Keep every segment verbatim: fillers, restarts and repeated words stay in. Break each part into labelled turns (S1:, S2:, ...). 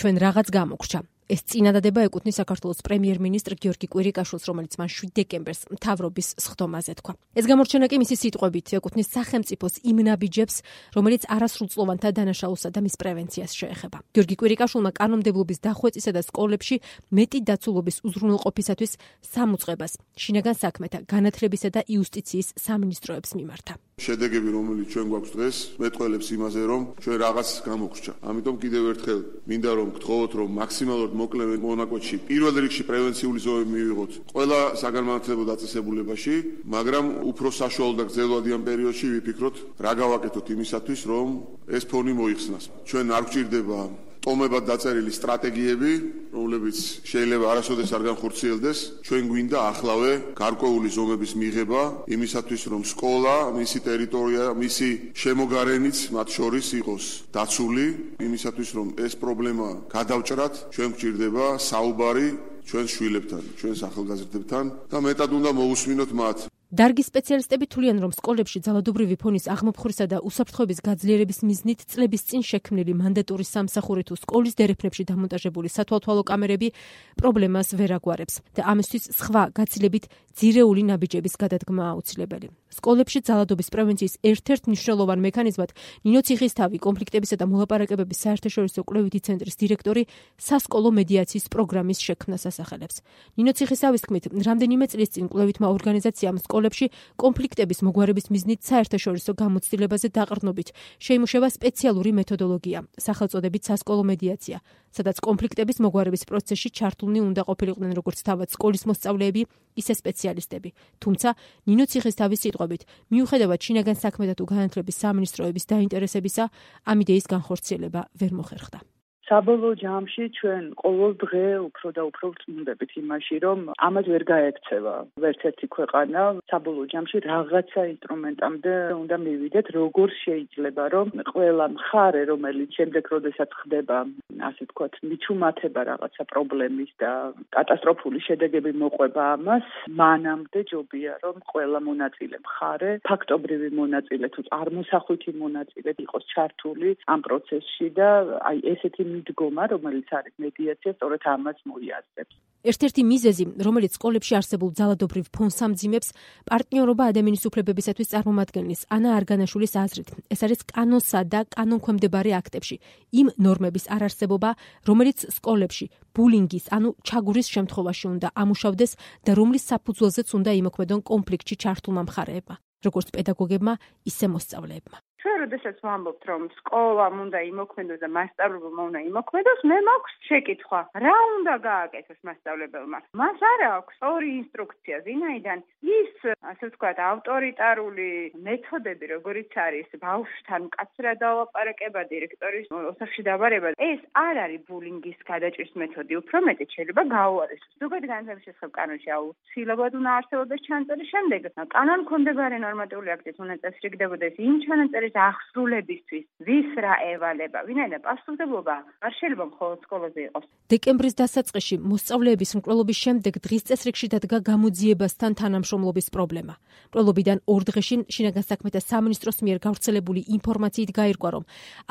S1: ჩვენ რაღაც გამოგრჩა. ეს წინადადება ეკუთვნის საქართველოს პრემიერ-მინისტრ გიორგი კვირიკაშვილს, რომელიც მან შვიდ დეკემბერს მთავრობის სხდომაზე თქვა. ეს გამორჩენა კი მისი სიტყვებით ეკუთვნის სახელმწიფოს იმ ნაბიჯებს, რომელიც არასრულწლოვანთა დანაშაულსა და მის პრევენციას შეეხება. გიორგი კვირიკაშვილმა კანონმდებლობის დახვეწისა და სკოლებში მეტი დაცულობის უზრუნველყოფისათვის სამუწყებას შინაგან საქმეთა, განათლებისა და იუსტიციის სამინისტროებს მიმართა.
S2: შედეგები, რომელიც ჩვენ გვაქვს დღეს, მეტყველებს იმაზე, რომ ჩვენ რაღაც გამოგრჩა. ამიტომ კიდევ ერთხელ მინდა რომ გთხოვოთ, რომ მაქსიმალურად მოკლე მონაკვეთში პირველ რიგში პრევენციული ზომები მივიღოთ ყველა საგანმანათლებლო დაწესებულებაში, მაგრამ უფრო საშუალო და გრძელვადიან პერიოდში ვიფიქროთ, რა გავაკეთოთ იმისათვის, რომ ეს ფონი მოიხსნას. ჩვენ არ გვჭირდება ტომებად დაწერილი სტრატეგიები, რომლებიც შეიძლება არასოდეს არ განხორციელდეს. ჩვენ გვინდა ახლავე გარკვეული ზომების მიღება იმისათვის, რომ სკოლა, მისი ტერიტორია, მისი შემოგარენიც მათ შორის იყოს დაცული, იმისათვის, რომ ეს პრობლემა გადავჭრათ, ჩვენ გვჭირდება საუბარი ჩვენს შვილებთან, ჩვენს ახალგაზრდებთან და მეტად უნდა მოусმინოთ მათ.
S1: დარგის სპეციალისტები თვლიან, რომ სკოლებში ძალადობრივი ფონის აღმოფხვრისა და უსაფრთხოების გაძლიერების მიზნით წლების წინ შექმნილი მანდატური სამსახური თუ სკოლის დერეფნებში დამონტაჟებული სათვალთვალო კამერები პრობლემას ვერ აგვარებს და ამისთვის სხვა გაცილებით ძირეული ნაბიჯების გადადგმა აუცილებელი. სკოლებში ძალადობის პრევენციის ერთ-ერთ მნიშვნელოვან მექანიზმად ნინო ციხისთავი, კონფლიქტებისა და მოლაპარაკებების საერთაშორისო კვლევითი ცენტრის დირექტორი სასკოლო მედიაციის პროგრამის შექმნას ასახელებს. ნინო ციხისთავის თქმით, რამდენიმე წლის წინ კვლევითმა ორგანიზაციამ სკოლებში კონფლიქტების მოგვარების მიზნით საერთაშორისო გამოცდილებაზე დაყრდნობით შეიმუშავა სპეციალური მეთოდოლოგია, სახელწოდებით სასკოლო მედიაცია, სადაც კონფლიქტების მოგვარების პროცესში ჩართულნი უნდა ყოფილიყვნენ როგორც თავად სკოლის მოსწავლეები, ისე სპეციალისტები. თუმცა ნინო ციხისთავის სიტყვებით, მიუხედავად შინაგან საქმეთა თუ განათლების სამინისტროების დაინტერესებისა, ამ იდეის განხორციელება ვერ მოხერხდა.
S3: საბოლოო ჯამში ჩვენ ყოველ დღე უფრო და უფრო ვწმუნდებით იმაში, რომ ამას ვერ გაექცევა ვერც ერთი ქვეყანა. საბოლოო ჯამში რაღაცა ინსტრუმენტამდე უნდა მივიდეთ, როგორ შეიძლება, რომ ყველა მხარე, რომელიც შემდეგ როდესაც ხდება, ასე ვთქვათ, მიჩუმათება რაღაცა პრობლემის და კატასტროფული შედეგები მოყვება ამას, მანამდე ჯობია, რომ ყველა მონაწილე მხარე, ფაქტობრივი მონაწილე თუ წარმოსახვითი მონაწილე იყოს ჩართული ამ პროცესში და აი ესეთი მიდგომა, რომელიც არის მედიაცია, სწორედ ამას მოიაზრებს.
S1: ერთ-ერთი მიზეზი, რომელიც სკოლებში არსებულ ძალადობრივ ფონს ამძიმებს, პარტნიორობა ადამიანის უფლებებისათვის წარმომადგენლის ანა არგანაშვილის აზრით. ეს არის კანონსა და კანონქვემდებარე აქტებში იმ ნორმების არარსებობა, რომელიც სკოლებში ბულინგის, ანუ ჩაგურის შემთხვევაში უნდა ამუშავდეს და რომლის საფუძველზეც უნდა იმოქმედონ კონფლიქტში ჩართულმა მხარეებმა, როგორც პედაგოგებმა, ისე მოსწავლეებმა.
S4: ჩვენ როდესაც ვამბობთ, რომ სკოლამ უნდა იმოქმედოს და მასწავლებელმა უნდა იმოქმედოს, მე მაქვს შეკითხვა, რა უნდა გააკეთოს მასწავლებელმა? მას არ აქვს ორი ინსტრუქცია, ვინაიდან ის, ასე ვთქვათ, ავტორიტარული მეთოდები, როგორიც არის ბავშვთან მკაცრად დავაპარაკება, დირექტორის ოთახში დავარება, ეს არ არის ბულინგის გადაჭრის მეთოდი, უფრო მეტიც შეიძლება გაუარესოს. ზოგადად განათლების შესახებ კანონში აუცილებლად უნდა არსებობდეს ჩანაწერი, შემდეგ კანონქვემდებარე ნორმატიული აქტით უნდა წესრიგდებოდეს იმ ჩანაწერის აღსრულებისთვის, ვის რა ევალება, ვინაიდან პასუხისმგებლობა არ შეიძლება მხოლოდ სკოლაზე იყოს.
S1: დეკემბრის დასაწყისში მოსწავლეების მკვლელობის შემდეგ დღის წესრიგში დადგა გამოძიებასთან თანამშრომლობის პრობლემა. მკვლელობიდან ორ დღეში შინაგან საქმეთა სამინისტროს მიერ გავრცელებული ინფორმაციით გაირკვა, რომ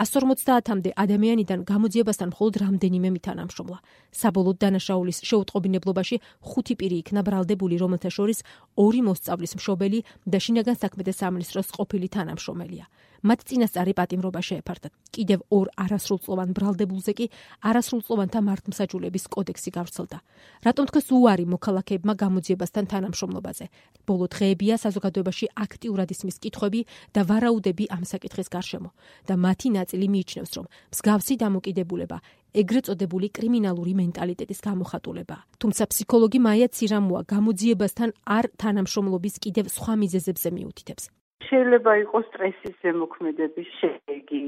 S1: εκατს ორმოცდაათამდე ადამიანიდან გამოძიებასთან მხოლოდ რამდენიმე მითანამშრომლა. საბოლოოდ დანაშაულის შეუტყობინებლობაში ხუთი პირი იქნა ბრალდებული, რომელთა შორის ორი მოსწავლის მშობელი და შინაგან საქმეთა სამინისტროს ყოფილი თანამშრომელია. მათ წინასწარი პატიმრობა შეეფარდათ. კიდევ ორ არასრულწლოვან ბრალდებულზე კი არასრულწლოვანთა მართლმსაჯულების კოდექსი გავრცელდა. რატომ თქვეს უარი მოქალაქეებმა გამოძიებასთან თანამშრომლობაზე? ბოლო დღეებია საზოგადოებაში აქტიურად ისმის კითხვები და ვარაუდები ამ საკითხის გარშემო და მათი ნაწილი მიიჩნევს, რომ მსგავსი დამოკიდებულება ეგრეთ წოდებული კრიმინალური მენტალიტეტის გამოხატულებაა. თუმცა ფსიქოლოგი მაია ცირამოა გამოძიებასთან არ თანამშრომლობის კიდევ სხვა მიზეზებზე მიუთითებს.
S5: შეიძლება იყოს სტრესის ზემოქმედების შედეგი,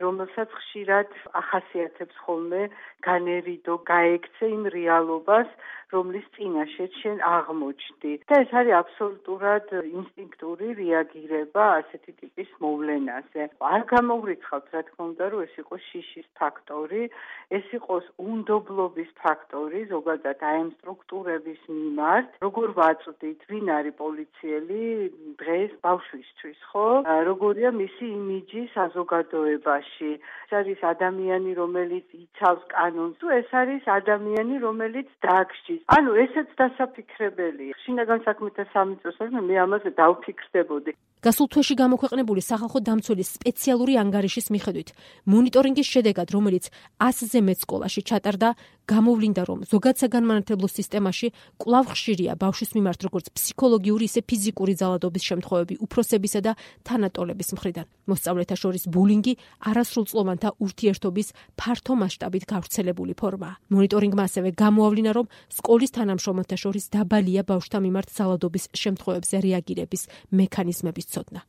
S5: რომელსაც ხშირად ახასიათებს ხოლმე განერიდო, გაექცე იმ რეალობას, რომლის წინაშეც შენ აღმოჩნდი. და ეს არის აბსოლუტურად ინსტინქტური რეაგირება ასეთი ტიპის მოვლენაზე. არ გამოვრიცხავთ, რა თქმა უნდა, რომ ეს იყოს შიშის ფაქტორი, ეს იყოს უნდობლობის ფაქტორი, ზოგადად აი ამ სტრუქტურების მიმართ, როგორ ვაწვდით, ვინ არის პოლიციელი დღეს ბავშვისთვის, ხო? როგორია მისი იმიჯი საზოგადოებაში. სკოლაში. ეს არის ადამიანი, რომელიც იცავს კანონს, თუ ეს არის ადამიანი, რომელიც დააგშის. ანუ ესეც დასაფიქრებელია. შინაგან საქმეთა სამინისტროს მე ამაზე დავფიქრდებოდი.
S1: გასულ თვეში გამოქვეყნებული სახალხო დამცველის სპეციალური ანგარიშის მიხედვით, მონიტორინგის შედეგად, რომელიც ასზე მეტ სკოლაში ჩატარდა, გამოვლინდა, რომ ზოგად საგანმანათლებლო სისტემაში კვლავ ხშირია ბავშვის მიმართ როგორც ფსიქოლოგიური, ისე ფიზიკური ძალადობის შემთხვევები უფროსებისა და თანატოლების მხრიდან. მოსწავლეთა შორის ბულინგი არასრულწლოვანთა ურთიერთობის ფართო მასშტაბით გავრცელებული ფორმაა. მონიტორინგმა ასევე გამოავლინა, რომ სკოლის თანამშრომელთა შორის დაბალია ბავშვთა მიმართ ძალადობის შემთხვევებზე რეაგირების მექანიზმების ცოდნა.